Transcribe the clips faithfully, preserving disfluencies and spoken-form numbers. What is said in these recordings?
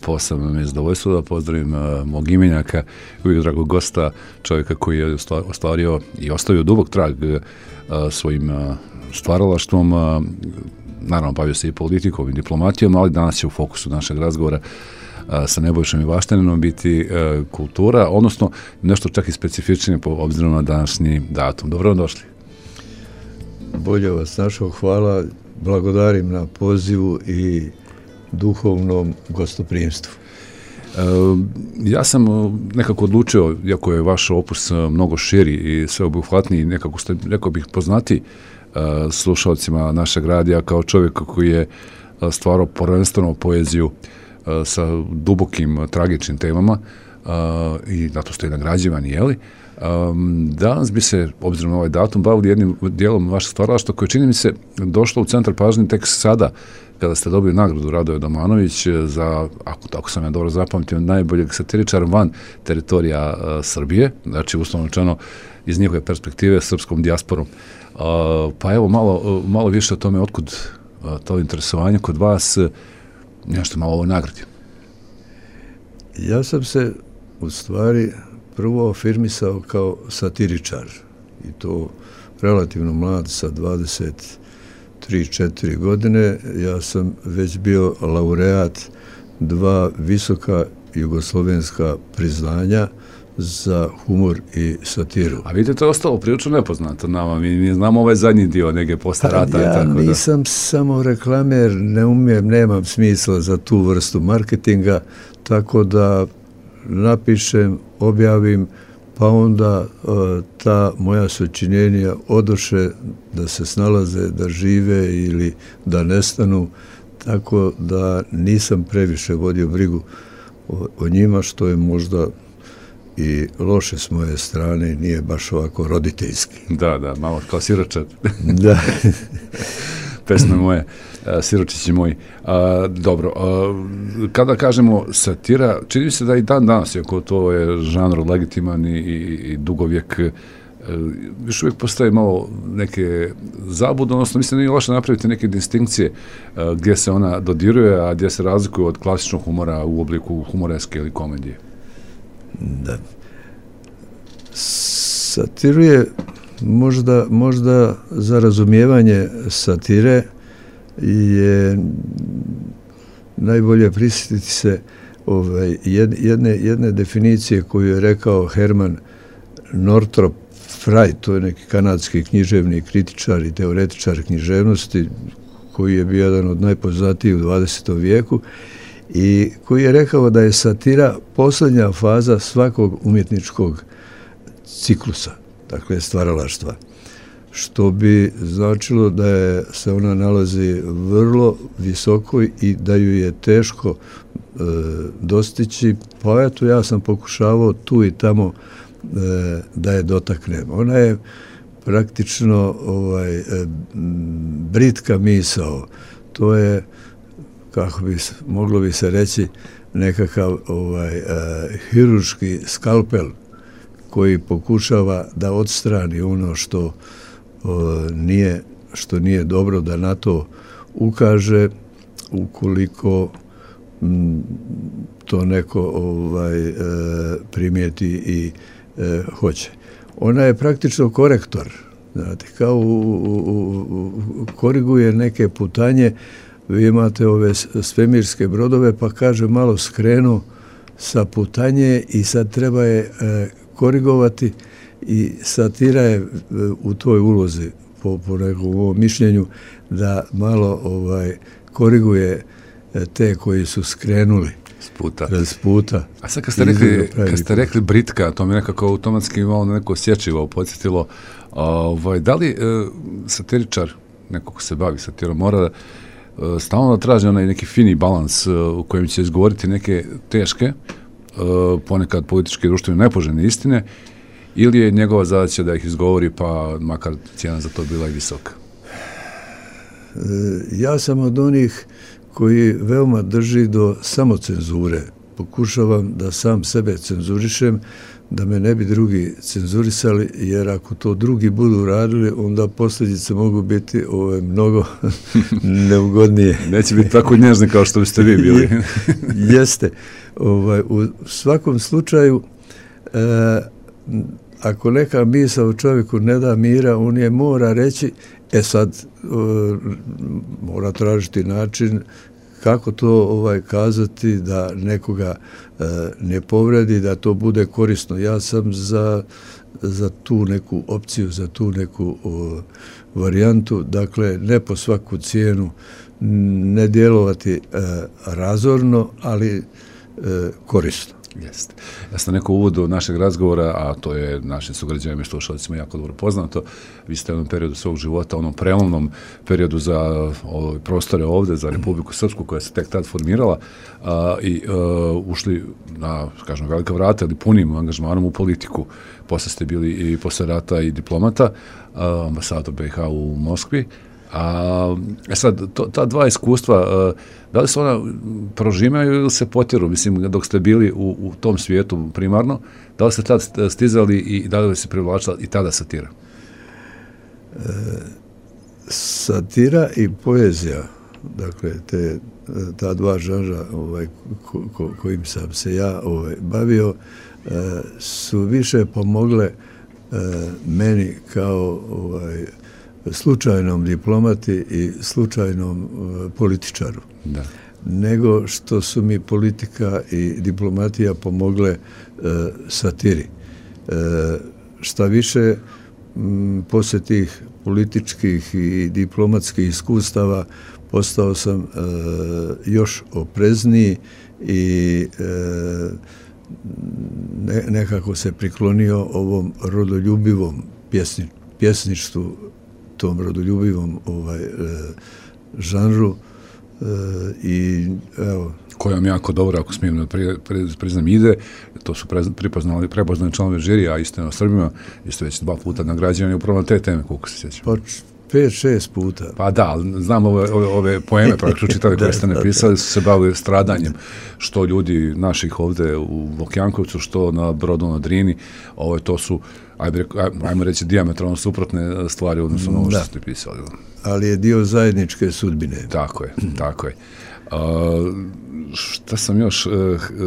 posebno mi je zadovoljstvo da pozdravim uh, mog imenjaka, uvijek dragog gosta, čovjeka koji je ostvario i ostavio dubok trag uh, svojim uh, stvaralaštvom, uh, naravno bavio se i politikom i diplomatijom, ali danas će u fokusu našeg razgovora uh, sa Nebojšom Ivaštaninom biti uh, kultura, odnosno nešto čak i specifičnije po obzirom na današnji datum. Dobro vam došli. Bolje vas našao, hvala, blagodarim na pozivu i duhovnom gostoprimstvu. E, ja sam nekako odlučio, iako je vaš opus mnogo širi i sveobuhvatniji, nekako ste, rekao bih, poznati e, slušalcima našeg radija kao čovjek koji je stvarao prvenstveno poeziju e, sa dubokim, tragičnim temama e, i zato ste i nagrađivani, jeli? Um, danas bi se, obzirom na ovaj datum, bavili jednim dijelom vašeg stvaralaštva koje čini mi se došlo u centar pažnje tek sada kada ste dobili nagradu Radoje Domanović za, ako tako sam ja dobro zapamtio, najboljeg satiričara van teritorija uh, Srbije, znači uslovno rečeno iz njihove perspektive srpskom dijasporom. Uh, pa evo malo, uh, malo više o tome, otkud uh, to interesovanje kod vas, uh, nešto malo o ovoj nagradi. Ja sam se u stvari prvo afirmisao kao satiričar i to relativno mlad sa dvadeset tri četiri godine. Ja sam već bio laureat dva visoka jugoslovenska priznanja za humor i satiru. A vidite, to je ostalo prilično nepoznato nama. Mi, mi znamo ovaj zadnji dio neke posle rata. Ja i tako da. nisam samo reklamer, ne umijem, nemam smisla za tu vrstu marketinga, tako da napišem, objavim, pa onda uh, ta moja sačinjenja odoše da se snalaze, da žive ili da nestanu, tako da nisam previše vodio brigu o, o njima, što je možda i loše s moje strane, nije baš ovako roditeljski. Da, da, malo kao siročad. Da. Pesme moje, siročići moji. A, dobro, a, kada kažemo satira, čini mi se da i dan danas, iako to je žanr legitiman i, i, i dugovijek, još uvijek postoje malo neke zabude, odnosno mislim da nije loše napraviti neke distinkcije a, gdje se ona dodiruje, a gdje se razlikuje od klasičnog humora u obliku humoreske ili komedije. Da. Satiru je možda, možda za razumijevanje satire je najbolje prisjetiti se ovaj, jedne, jedne definicije koju je rekao Herman Northrop Frye, to je neki kanadski književni kritičar i teoretičar književnosti koji je bio jedan od najpoznatijih u dvadesetom vijeku i koji je rekao da je satira posljednja faza svakog umjetničkog ciklusa, dakle stvaralaštva, što bi značilo da je, se ona nalazi vrlo visoko i da ju je teško e, dostići, pa eto ja sam pokušavao tu i tamo e, da je dotaknem. Ona je praktično ovaj, e, britka misao, to je, kako bi moglo bi se reći, nekakav ovaj, e, hirurški skalpel koji pokušava da odstrani ono što o, nije, što nije dobro, da na to ukaže ukoliko m, to neko ovaj, e, primijeti i e, hoće. Ona je praktično korektor, znate, kao u, u, u, koriguje neke putanje. Vi imate ove svemirske brodove, pa kaže malo skrenu sa putanje i sad treba je e, korigovati i satira je u toj ulozi, po, po nekom mišljenju, da malo ovaj koriguje te koji su skrenuli s puta. S puta. A sad kad ste rekli, kad ste rekli britka, to mi nekako automatski malo na neko osjećivo podsjetilo, ovaj, da li e, satiričar, neko ko se bavi satirom, mora da stalno da traži onaj neki fini balans u kojem će izgovoriti neke teške, ponekad političke i društvene nepoželjne istine, ili je njegova zadaća da ih izgovori, pa makar cijena za to bila i visoka? Ja sam od onih koji veoma drži do samocenzure, pokušavam da sam sebe cenzurišem, da me ne bi drugi cenzurisali, jer ako to drugi budu radili, onda posljedice mogu biti ove, mnogo neugodnije. Neće biti tako nježni kao što biste vi bili. Jeste. Ovaj, u svakom slučaju, e, ako neka misao čovjeku ne da mira, on je mora reći, e sad e, mora tražiti način kako to ovaj kazati da nekoga e, ne povredi, da to bude korisno. Ja sam za, za tu neku opciju, za tu neku o, varijantu, dakle ne po svaku cijenu, ne djelovati e, razorno, ali e, korisno. Jeste. Ja sam neko uvodu našeg razgovora, a to je našim sugrađanima i slušalicima jako dobro poznato. Vi ste u jednom periodu svog života, onom prelomnom periodu za ove prostore ovde, za Republiku Srpsku, koja se tek tad formirala, a, i a, ušli na, kažem, velika vrata ili punim angažmanom u politiku. Posle ste bili i posle rata i diplomata, a, ambasador B i H u Moskvi. A, e sad, to, ta dva iskustva, a, da li se ona prožimaju ili se potjeru, mislim, dok ste bili u, u tom svijetu primarno, da li ste tad stizali i da li se privlačila i tada satira? E, satira i poezija, dakle, te, ta dva žanra ovaj, ko, ko, kojim sam se ja ovaj, bavio, e, su više pomogle e, meni kao ovaj, slučajnom diplomati i slučajnom uh, političaru. Da. Nego što su mi politika i diplomatija pomogle uh, satiri. Uh, šta više, m, poslije tih političkih i diplomatskih iskustava postao sam uh, još oprezniji i uh, ne, nekako se priklonio ovom rodoljubivom pjesni, pjesništvu, tom rodoljubivom ovaj, e, žanru e, i evo... Koja vam jako dobro, ako smijem pri, pri, priznam, ide, to su pre, pripoznali, prepoznali članove žirija, a istina o Srbima, isto već dva puta nagrađivani upravo na te teme, koliko se sjećam. Pa pet, šest puta. Pa da, znam ove, ove, ove poeme, praktično čitali koje ste napisali, su se bavili stradanjem, što ljudi naših ovde u Vokjankovcu, što na Brodu na Drini, ovo, to su, ajme, ajmo reći, dijametralno suprotne stvari, odnosno ono što ste pisali. Ali je dio zajedničke sudbine. Tako je, tako je. Uh, šta sam još uh,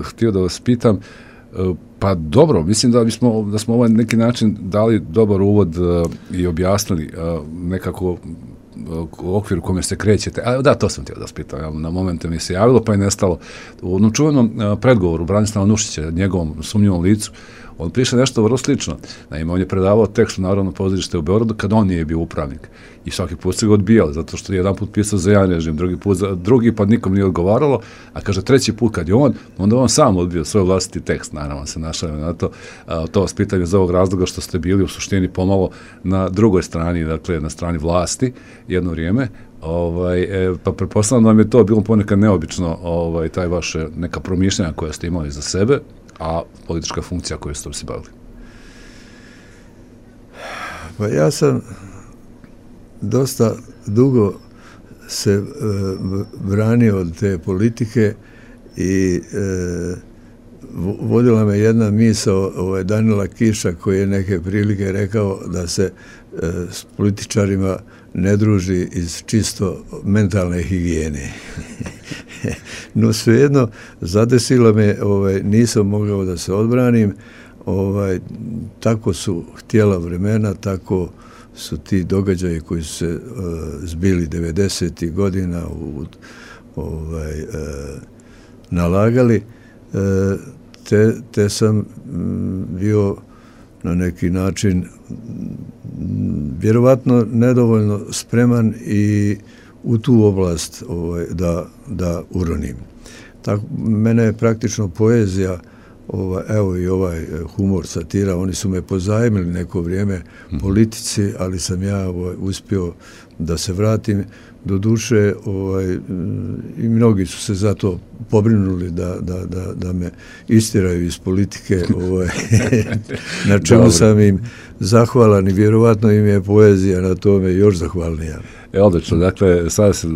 htio da vas pitam, uh, pa dobro, mislim da bismo, da smo ovaj neki način dali dobar uvod uh, i objasnili uh, nekako uh, okvir u kome se krećete. A da, to sam htio da vas pitam, ja, na momente mi se javilo pa je nestalo. U onom čuvenom uh, predgovoru Branislava Nušića, njegovom sumnjivom licu, on piše nešto vrlo slično. Naime, on je predavao tekst u Narodno pozorište u Beogradu kad on nije bio upravnik. I svaki put se ga odbijali, zato što je jedan put pisao za jedan režim, drugi put za drugi, pa nikom nije odgovaralo, a kaže treći put kad je on, onda on sam odbio svoj vlastiti tekst, naravno se našao na to. A, to vas pitanje za ovog razloga što ste bili u suštini pomalo na drugoj strani, dakle na strani vlasti jedno vrijeme, ovaj, e, pa pretpostavljam da vam je to bilo ponekad neobično, ovaj, taj vaše neka promišljanja koja ste imali za sebe, a politička funkcija koju ste se bavili? Pa ja sam dosta dugo se e, branio od te politike i e, vodila me jedna misao ovaj, Danila Kiša koji je neke prilike rekao da se e, s političarima ne druži iz čisto mentalne higijene. No svejedno, zadesilo me, ovaj, nisam mogao da se odbranim, ovaj, tako su htjela vremena, tako su ti događaji koji su se uh, zbili devedesetih godina u, ovaj, uh, nalagali, uh, te, te sam m, bio na neki način m, vjerovatno nedovoljno spreman i u tu oblast ovaj, da, da uronim. Tako, mene je praktično poezija, ovaj, evo i ovaj humor, satira, oni su me pozajmili neko vrijeme politici, ali sam ja ovaj, uspio da se vratim. Do duše, ovaj, i mnogi su se zato pobrinuli da, da, da, da me istiraju iz politike, ovaj, na čemu sam im zahvalan i vjerovatno im je poezija na tome još zahvalnija. E, odlično, dakle, sada se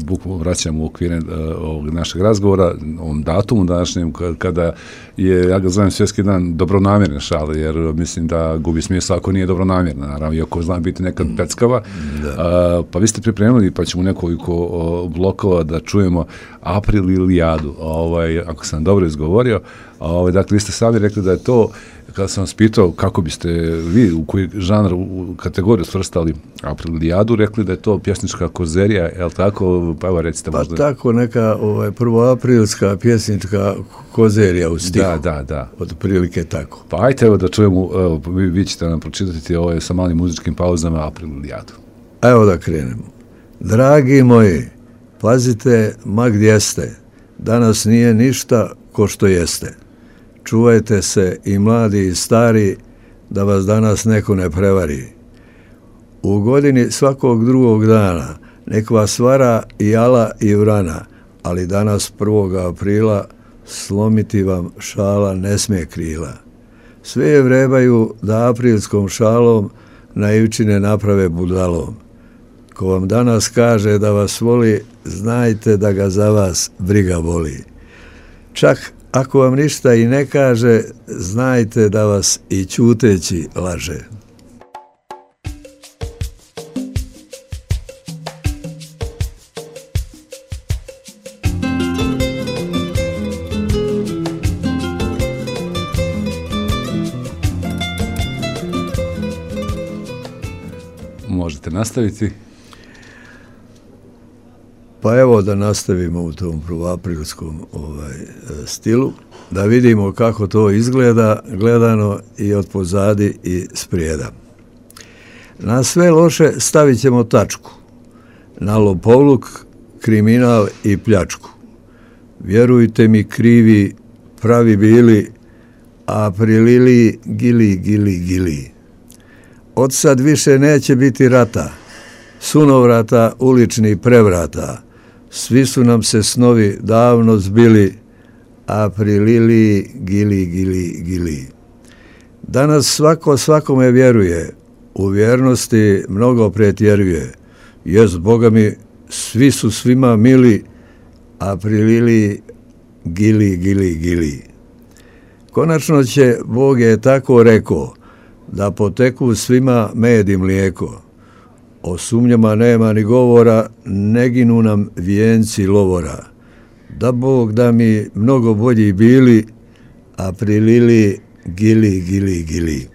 bukvalno vraćamo u okvire uh, ovog našeg razgovora, ovom datumu današnjem, kada je, ja ga zovem svjetski dan dobronamjerne šale, jer mislim da gubi smisla ako nije dobronamjerna, naravno, iako zna biti nekad peckava. Uh, pa vi ste pripremili, pa ćemo nekoliko uh, blokova da čujemo Aprililijadu, ovaj, ako sam dobro izgovorio. Ovaj, dakle, vi ste sami rekli da je to, kada sam vas pitao kako biste vi, u koji žanr, u kategoriju svrstali Aprililijadu, rekli da je to pjesnička kozerija, je li tako? Pa evo recite možda. Pa tako, neka ovaj, prvoaprilska pjesnička kozerija u stihu. Da, da, da. Od prilike tako. Pa ajte evo da čujemo, evo, vi, vi ćete nam pročitati ovo sa malim muzičkim pauzama Aprililijadu. Evo da krenemo. Dragi moji, pazite ma gdje ste, danas nije ništa ko što jeste. Čuvajte se i mladi i stari, da vas danas neko ne prevari. U godini svakog drugog dana nek vas vara i jala i vrana, ali danas prvog aprila slomiti vam šala ne smije krila. Sve je vrebaju da aprilskom šalom naivčine naprave budalom. Ko vam danas kaže da vas voli, znajte da ga za vas briga voli. Čak ako vam ništa i ne kaže, znajte da vas i ćuteći laže. Možete nastaviti. Pa evo da nastavimo u tom prvoaprilskom ovaj, stilu, da vidimo kako to izgleda gledano i od pozadi i sprijeda. Na sve loše stavit ćemo tačku, na lopovluk, kriminal i pljačku. Vjerujte mi krivi, pravi bili, Aprilili, gili, gili, gili. Od sad više neće biti rata, sunovrata, ulični prevrata. Svi su nam se snovi davno zbili, Aprilili, gili, gili, gili. Danas svako svakome vjeruje, u vjernosti mnogo pretjeruje. Jest, Boga mi, svi su svima mili, Aprilili, gili, gili, gili. Konačno će, Bog je tako rekao, da poteku svima med i mlijeko. O sumnjama nema ni govora, ne ginu nam vijenci lovora. Da Bog da mi mnogo bolji bili, Aprilili, gili, gili, gili.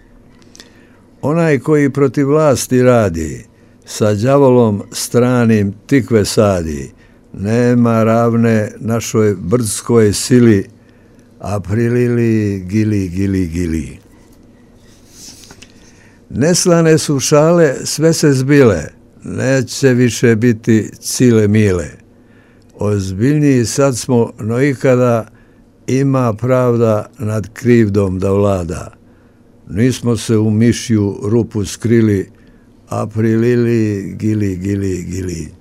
Onaj koji protiv vlasti radi, sa đavolom stranim tikve sadi, nema ravne našoj brdskoj sili, Aprilili, gili, gili, gili. Neslane su šale, sve se zbile, neće više biti cile mile. Ozbiljniji sad smo, no ikada ima pravda nad krivdom da vlada. Nismo se u mišju rupu skrili, Aprilili, gili, gili, gili.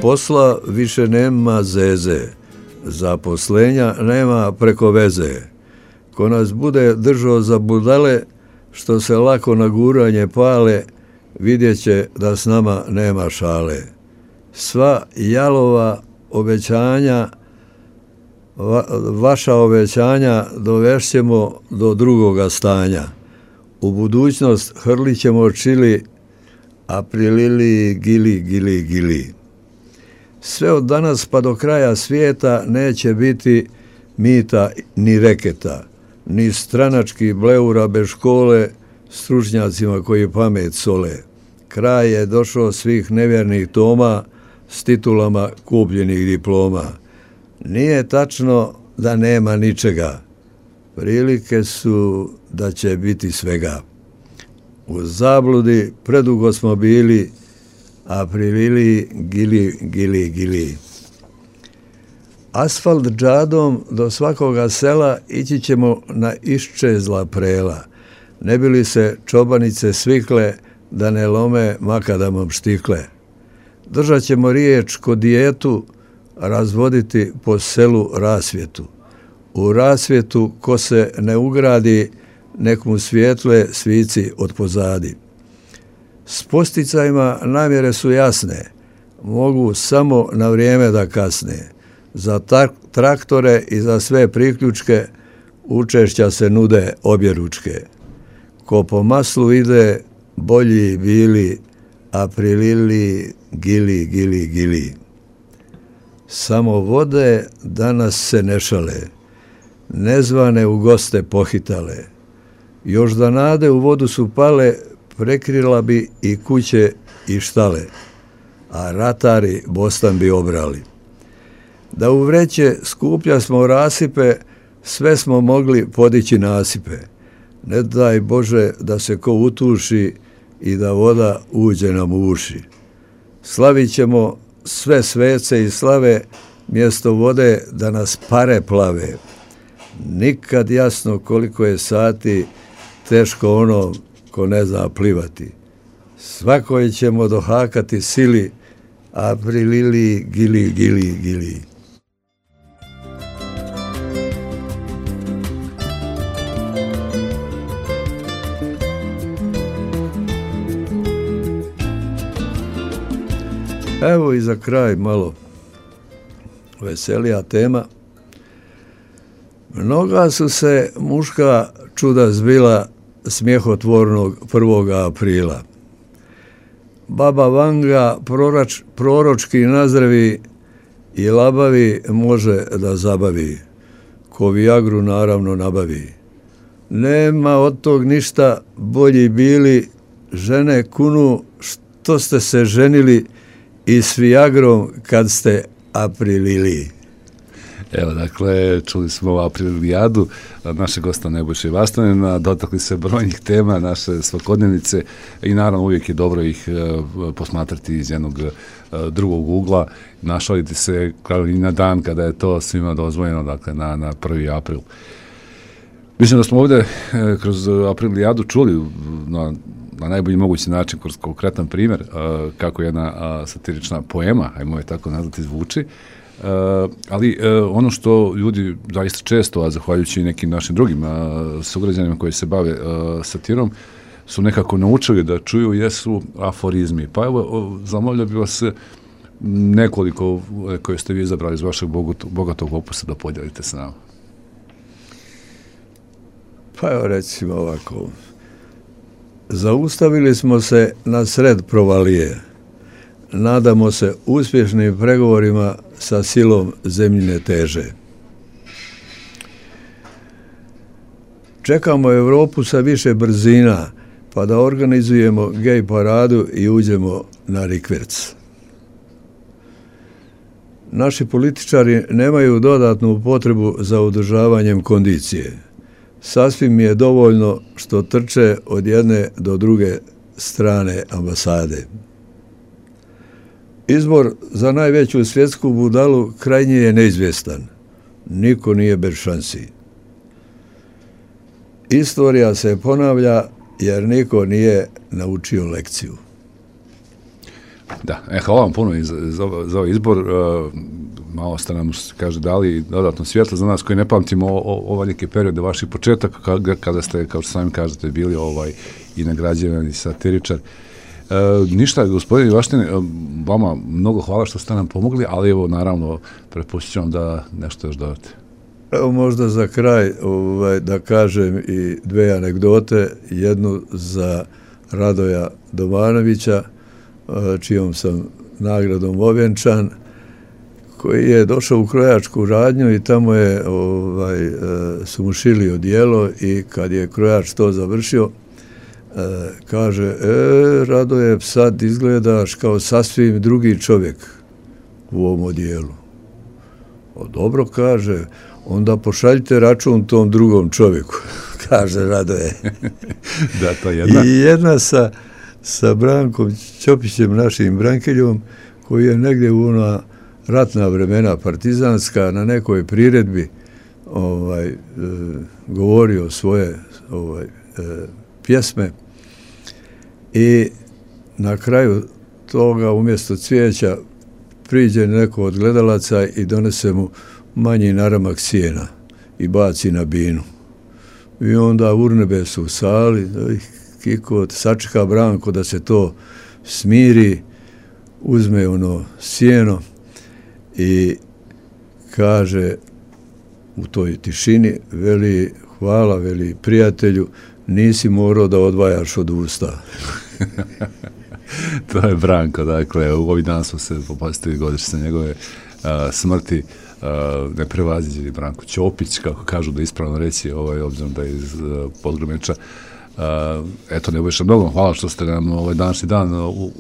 Posla više nema zeze, zaposlenja nema preko veze. Ko nas bude držao za budale, što se lako na guranje pale, vidjet će da s nama nema šale. Sva jalova obećanja, va, vaša obećanja dovešćemo do drugoga stanja. U budućnost hrlit ćemo čili, Aprilili, gili, gili, gili. Sve od danas pa do kraja svijeta neće biti mita ni reketa, ni stranački bleura bez škole, stručnjacima koji pamet sole. Kraj je došao svih nevjernih toma s titulama kupljenih diploma. Nije tačno da nema ničega, prilike su da će biti svega. U zabludi predugo smo bili, a prilili gili, gili, gili. Asfalt džadom do svakoga sela ići ćemo na iščezla prela, ne bi li se čobanice svikle da ne lome makadamom štikle. Držat ćemo riječ ko dijetu, razvoditi po selu rasvjetu. U rasvjetu ko se ne ugradi, nek mu svijetle svici od pozadi. S posticajima namjere su jasne, mogu samo na vrijeme da kasne. Za traktore i za sve priključke učešća se nude obje ručke. Ko po maslu ide, bolji bili, a prilili gili, gili, gili. Samo vode danas se ne šale, nezvane u goste pohitale. Još da nade u vodu su pale, prekrila bi i kuće i štale, a ratari bostan bi obrali. Da u vreće skuplja smo rasipe, sve smo mogli podići nasipe. Ne daj Bože da se ko utuši i da voda uđe nam u uši. Slavit ćemo sve svece i slave, mjesto vode da nas pare plave. Nikad jasno koliko je sati, teško ono ko ne zna plivati. Svakoj ćemo dohakati sili, a prilili gili, gili, gili. Evo i za kraj malo veselija tema. Mnoga su se muška čuda zbila smjehotvornog prvoga aprila. Baba Vanga proroč, proročki nazdravi i labavi može da zabavi, ko Viagru naravno nabavi. Nema od tog ništa, bolji bili, žene kunu što ste se ženili i s Viagrom kad ste aprilili. Evo, dakle, čuli smo aprilijadu našeg gosta Nebojše Vastanina, dotakli se brojnih tema naše svakodnevnice i naravno uvijek je dobro ih uh, posmatrati iz jednog uh, drugog ugla, našaliti se kao i na dan kada je to svima dozvoljeno, dakle, na, na prvi april. Mislim da smo ovdje uh, kroz aprilijadu čuli na, na najbolji mogući način, kroz konkretan primjer, uh, kako jedna uh, satirična poema, ajmo je tako nazvati, zvuči. Uh, ali uh, ono što ljudi zaista često, a zahvaljujući nekim našim drugim uh, sugrađanima koji se bave uh, satirom, su nekako naučili da čuju jesu aforizmi. Pa evo, zamolio bih vas nekoliko koje ste vi izabrali iz vašeg bogatog, bogatog opusa da podijelite s nama. Pa evo recimo ovako. Zaustavili smo se na sred provalije. Nadamo se uspješnim pregovorima sa silom zemljine teže. Čekamo Europu sa više brzina, pa da organizujemo gej paradu i uđemo na rikverc. Naši političari nemaju dodatnu potrebu za održavanjem kondicije. Sasvim mi je dovoljno što trče od jedne do druge strane ambasade. Izbor za najveću svjetsku budalu krajnje je neizvjestan. Niko nije bez šansi. Istorija se ponavlja jer niko nije naučio lekciju. Da, e, hvala vam puno za, za, za ovaj izbor. Uh, malo ste nam, kaže, dali dodatno svjetlo za nas koji ne pamtimo o, o, ovaj neki period vaših početaka kada, kada ste, kao što sami kažete, bili ovaj i nagrađivani satiričar. E, ništa, gospodine Vaštin, vama mnogo hvala što ste nam pomogli, ali evo, naravno, prepustit ću vam da nešto još dodate. Evo možda za kraj ovaj, da kažem i dve anegdote, jednu za Radoja Domanovića, čijom sam nagradom ovjenčan, koji je došao u krojačku radnju i tamo je ovaj, su mu šili odijelo i kad je krojač to završio, E, kaže, e, Radoje, sad izgledaš kao sasvim drugi čovjek u ovom odijelu. O, dobro, kaže, onda pošaljite račun tom drugom čovjeku, kaže Radoje. Da, to je jedna. I jedna sa, sa Brankom Ćopićem, našim brankeljom, koji je negdje u ona ratna vremena partizanska na nekoj priredbi ovaj, e, govorio svoje ovaj, e, pjesme i na kraju toga umjesto cvijeća priđe neko od gledalaca i donese mu manji naramak sjena i baci na binu. I onda urnebe su u sali, Kiko sačeka Branko da se to smiri, uzme ono sjeno i kaže u toj tišini, veli, hvala, veli, prijatelju, nisi morao da odvajaš od usta. To je Branko, dakle, u ovih dana smo se popastili godišnjice njegove uh, smrti, uh, neprevaziđeni Branko Ćopić, kako kažu da ispravno reći, ovaj, obzirom da je iz uh, Podgrumeča. Uh, eto, Nebojša, mnogo hvala što ste nam ovaj današnji dan uh, uh,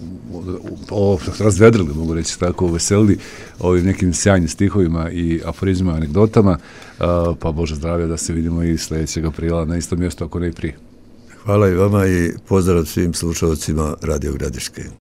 uh, razvedrili, mogu reći tako, veselili ovim nekim sjajnim stihovima i aforizmima, anegdotama, uh, pa Bože zdravlja da se vidimo i sljedećeg aprila na istom mjestu, ako ne i prije. Hvala i vama i pozdrav svim slušalcima Radio Gradiške.